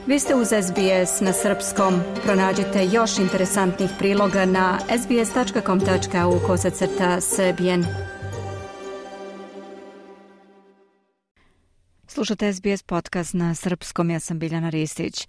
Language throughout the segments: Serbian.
Vi ste uz SBS na srpskom. Pronađite još interesantnih priloga na sbs.com.au/srbijen. Slušate SBS podcast na srpskom, ja sam Biljana Ristić.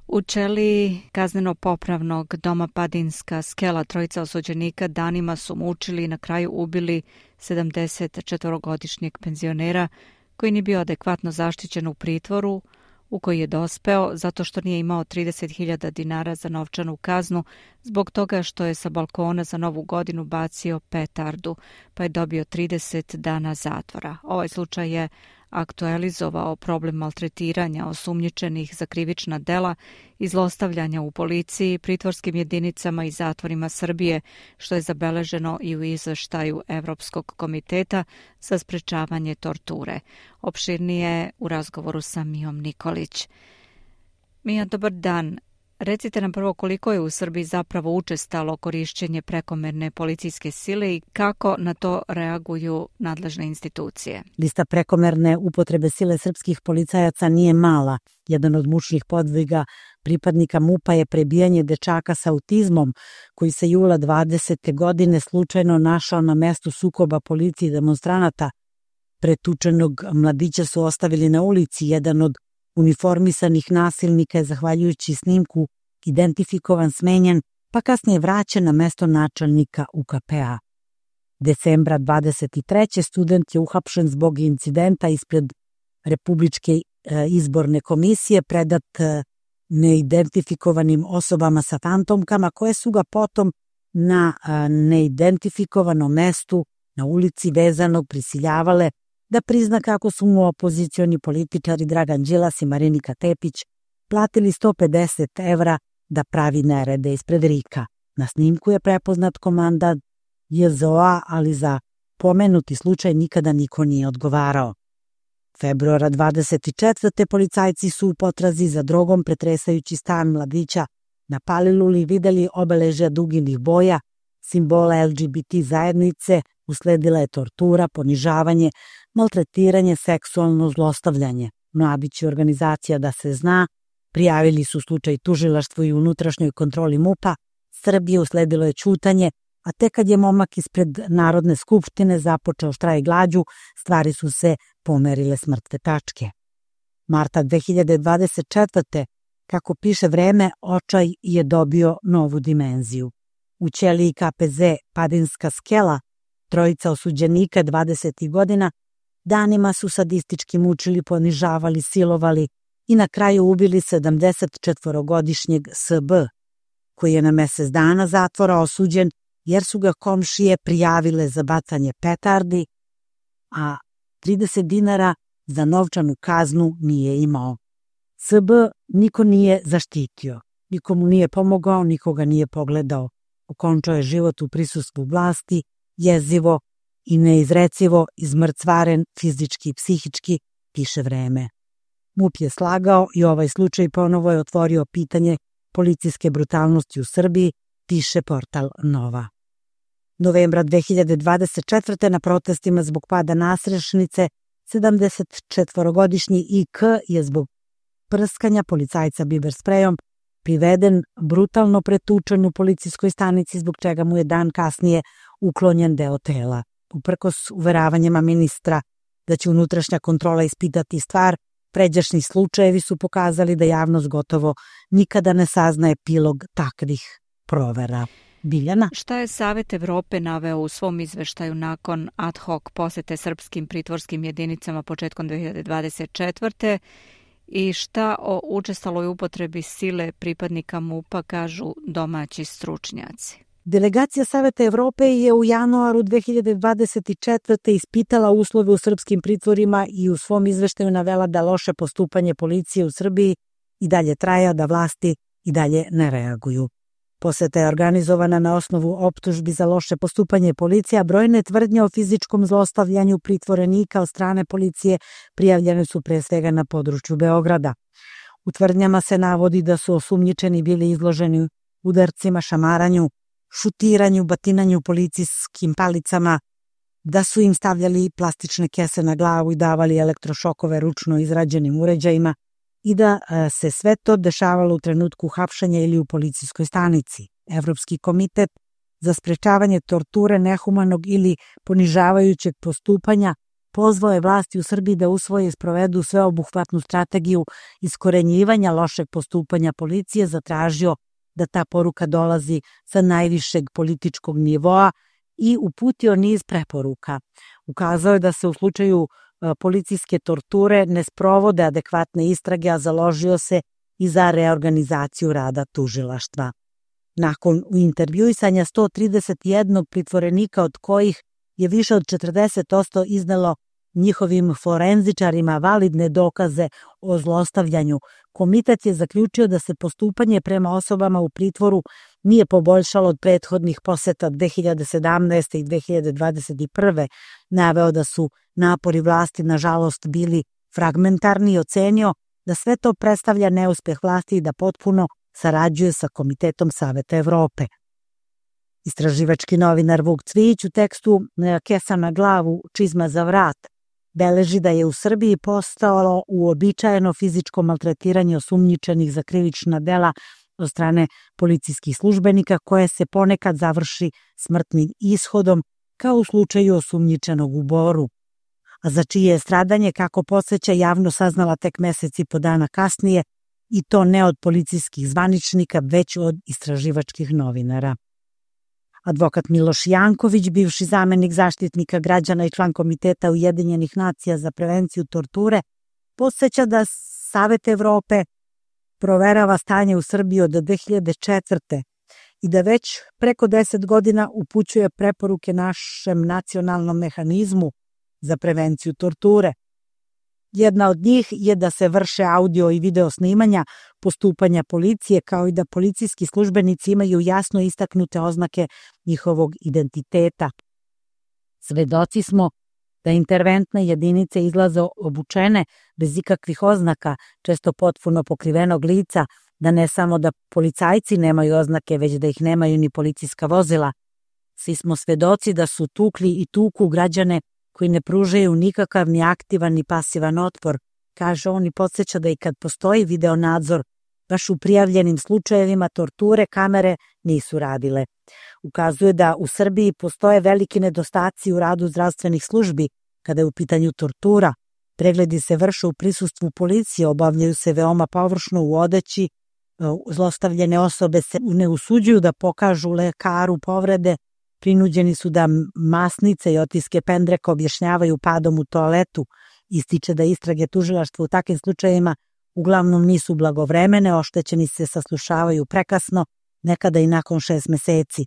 U ćeliji kazneno-popravnog doma Padinska Skela trojica osuđenika danima su mučili i na kraju ubili 74-godišnjeg penzionera koji nije bio adekvatno zaštićen u pritvoru u koji je dospeo zato što nije imao 30.000 dinara za novčanu kaznu zbog toga što je sa balkona za Novu godinu bacio petardu, pa je dobio 30 dana zatvora. Ovaj slučaj je aktualizovao problem maltretiranja osumnjičenih za krivična dela i zlostavljanja u policiji, pritvorskim jedinicama i zatvorima Srbije, što je zabeleženo i u izveštaju Evropskog komiteta za sprečavanje torture. Opširnije u razgovoru sa Mijom Nikolić. Mija, dobar dan. Recite nam prvo koliko je u Srbiji zapravo učestalo korišćenje prekomerne policijske sile i kako na to reaguju nadležne institucije. Lista prekomerne upotrebe sile srpskih policajaca nije mala. Jedan od mučnih podviga pripadnika MUP-a je prebijanje dečaka sa autizmom koji se jula 20. godine slučajno našao na mestu sukoba policije i demonstranata. Pretučenog mladića su ostavili na ulici. Jedan od uniformisanih nasilnika je, zahvaljujući snimku, identifikovan, smenjen, pa kasnije vraćen na mesto načelnika UKP-a. Decembra 23. student je uhapšen zbog incidenta ispred Republičke izborne komisije, predat neidentifikovanim osobama sa fantomkama, koje su ga potom na neidentifikovanom mestu na ulici Vezanog prisiljavale da prizna kako su mu opozicioni političari Dragan Đilas i Marinika Tepić platili 150 evra da pravi nerede ispred RIK-a. Na snimku je prepoznat komandant JZO-a, ali za pomenuti slučaj nikada niko nije odgovarao. Februara 24. policajci su u potrazi za drogom pretresajući stan mladića na Paliluli videli obeležja duginih boja, simbola LGBT zajednice, usledila je tortura, ponižavanje, maltretiranje, seksualno zlostavljanje. Mladić i organizacija Da se zna prijavili su slučaj tužilaštvu i unutrašnjoj kontroli MUP-a. Srbije usledilo je ćutanje, a tek kad je momak ispred Narodne skupštine započeo štrajk glađu, stvari su se pomerile s mrtve tačke. Marta 2024. kako piše Vreme, očaj je dobio novu dimenziju. U ćeliji KPZ Padinska Skela trojica osuđenika 20. godina danima su sadistički mučili, ponižavali, silovali i na kraju ubili 74-godišnjeg SB, koji je na mesec dana zatvora osuđen jer su ga komšije prijavile za bacanje petardi, a 30 dinara za novčanu kaznu nije imao. SB niko nije zaštitio, nikomu nije pomogao, nikoga nije pogledao. Okončao je život u prisustvu vlasti, jezivo i neizrecivo, izmrcvaren fizički i psihički, piše Vreme. MUP je slagao i ovaj slučaj ponovo je otvorio pitanje policijske brutalnosti u Srbiji, piše portal Nova. Novembra 2024. na protestima zbog pada nasrešnice 74-godišnji IK je zbog prskanja policajca biber sprejom priveden, brutalno pretučen u policijskoj stanici, zbog čega mu je dan kasnije uklonjen deo tela. Uprkos uveravanjima ministra da će unutrašnja kontrola ispitati stvar, pređašnji slučajevi su pokazali da javnost gotovo nikada ne sazna epilog takvih provera. Biljana? Šta je Savet Evrope naveo u svom izveštaju nakon ad hoc posete srpskim pritvorskim jedinicama početkom 2024. i šta o učestaloj upotrebi sile pripadnika MUP-a kažu domaći stručnjaci? Delegacija Saveta Evrope je u januaru 2024. ispitala uslove u srpskim pritvorima i u svom izveštaju navela da loše postupanje policije u Srbiji i dalje traje, da vlasti i dalje ne reaguju. Poseta je organizovana na osnovu optužbi za loše postupanje policije, a brojne tvrdnje o fizičkom zlostavljanju pritvorenika od strane policije prijavljene su pre svega na području Beograda. U tvrdnjama se navodi da su osumnjičeni bili izloženi udarcima, šamaranju, šutiranju, batinanju policijskim palicama, da su im stavljali plastične kese na glavu i davali elektrošokove ručno izrađenim uređajima i da se sve to dešavalo u trenutku hapšanja ili u policijskoj stanici. Evropski komitet za sprečavanje torture, nehumanog ili ponižavajućeg postupanja pozvao je vlasti u Srbiji da usvoje i sprovedu sveobuhvatnu strategiju iskorenjivanja lošeg postupanja policije, zatražio da ta poruka dolazi sa najvišeg političkog nivoa i uputio niz preporuka. Ukazao je da se u slučaju policijske torture ne sprovode adekvatne istrage, a založio se i za reorganizaciju rada tužilaštva. Nakon intervjuisanja 131 pritvorenika, od kojih je više od 40% iznelo njihovim forenzičarima validne dokaze o zlostavljanju, komitet je zaključio da se postupanje prema osobama u pritvoru nije poboljšalo od prethodnih poseta 2017. i 2021. Naveo da su napori vlasti nažalost bili fragmentarni i ocenio da sve to predstavlja neuspeh vlasti i da potpuno sarađuje sa Komitetom Saveta Evrope. Istraživački novinar Vuk Cvijić u tekstu Kesa na glavu, čizma za vrat beleži da je u Srbiji postalo uobičajeno fizičko maltretiranje osumnjičenih za krivična dela od strane policijskih službenika, koje se ponekad završi smrtnim ishodom, kao u slučaju osumnjičenog u Boru, a za čije je stradanje, kako podsjeća, javno saznala tek mesec i po dana kasnije, i to ne od policijskih zvaničnika, već od istraživačkih novinara. Advokat Miloš Janković, bivši zamenik zaštitnika građana i član Komiteta Ujedinjenih nacija za prevenciju torture, podsjeća da Savet Evrope proverava stanje u Srbiji od 2004. i da već preko 10 godina upućuje preporuke našem nacionalnom mehanizmu za prevenciju torture. Jedna od njih je da se vrše audio i video snimanja postupanja policije, kao i da policijski službenici imaju jasno istaknute oznake njihovog identiteta. Svedoci smo da interventne jedinice izlaze obučene bez ikakvih oznaka, često potpuno pokrivenog lica, da ne samo da policajci nemaju oznake, već da ih nemaju ni policijska vozila. Svi smo svedoci da su tukli i tuku građane koji ne pružaju nikakav ni aktivan ni pasivan otpor, kaže on, i podsjeća da i kad postoji video nadzor, baš u prijavljenim slučajevima torture kamere nisu radile. Ukazuje da u Srbiji postoje veliki nedostaci u radu zdravstvenih službi kada je u pitanju tortura. Pregledi se vrše u prisustvu policije, obavljaju se veoma površno u odeći, zlostavljene osobe se ne usuđuju da pokažu lekaru povrede, prinuđeni su da masnice i otiske pendreka objašnjavaju padom u toaletu. Ističe da istrage tužilaštva u takvim slučajevima uglavnom nisu blagovremene, oštećeni se saslušavaju prekasno, nekada i nakon 6 meseci.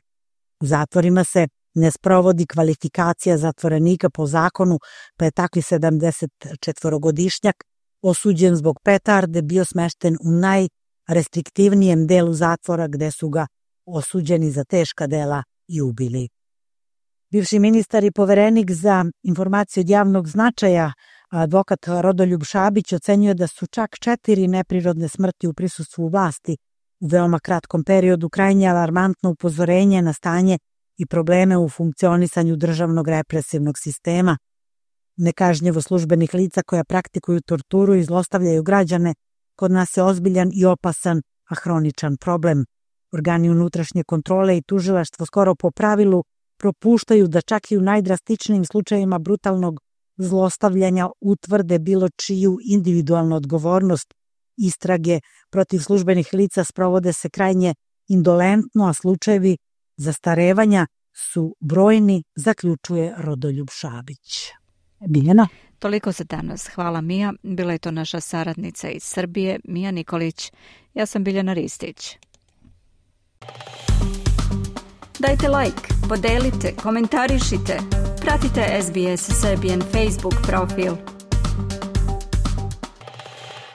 U zatvorima se ne sprovodi kvalifikacija zatvorenika po zakonu, pa je takvi 74-godišnjak osuđen zbog petarde bio smešten u najrestriktivnijem delu zatvora, gde su ga osuđeni za teška dela i ubili. Bivši ministar i poverenik za informacije od javnog značaja, advokat Rodoljub Šabić, ocenjuje da su čak 4 neprirodne smrti u prisustvu vlasti u veoma kratkom periodu krajnje alarmantno upozorenje na stanje i probleme u funkcionisanju državnog represivnog sistema. Nekažnjevo službenih lica koja praktikuju torturu i zlostavljaju građane kod nas je ozbiljan i opasan, a hroničan problem. Organi unutrašnje kontrole i tužilaštvo skoro po pravilu propuštaju da čak i u najdrastičnijim slučajevima brutalnog zlostavljanja utvrde bilo čiju individualnu odgovornost. Istrage protiv službenih lica sprovode se krajnje indolentno, a slučajevi zastarevanja su brojni, zaključuje Rodoljub Šabić. Biljana? Toliko za danas. Hvala, Mija. Bila je to naša saradnica iz Srbije, Mija Nikolić. Ja sam Biljana Ristić. Dajte like, podelite, komentarišite. Pratite SBS Serbian Facebook profil.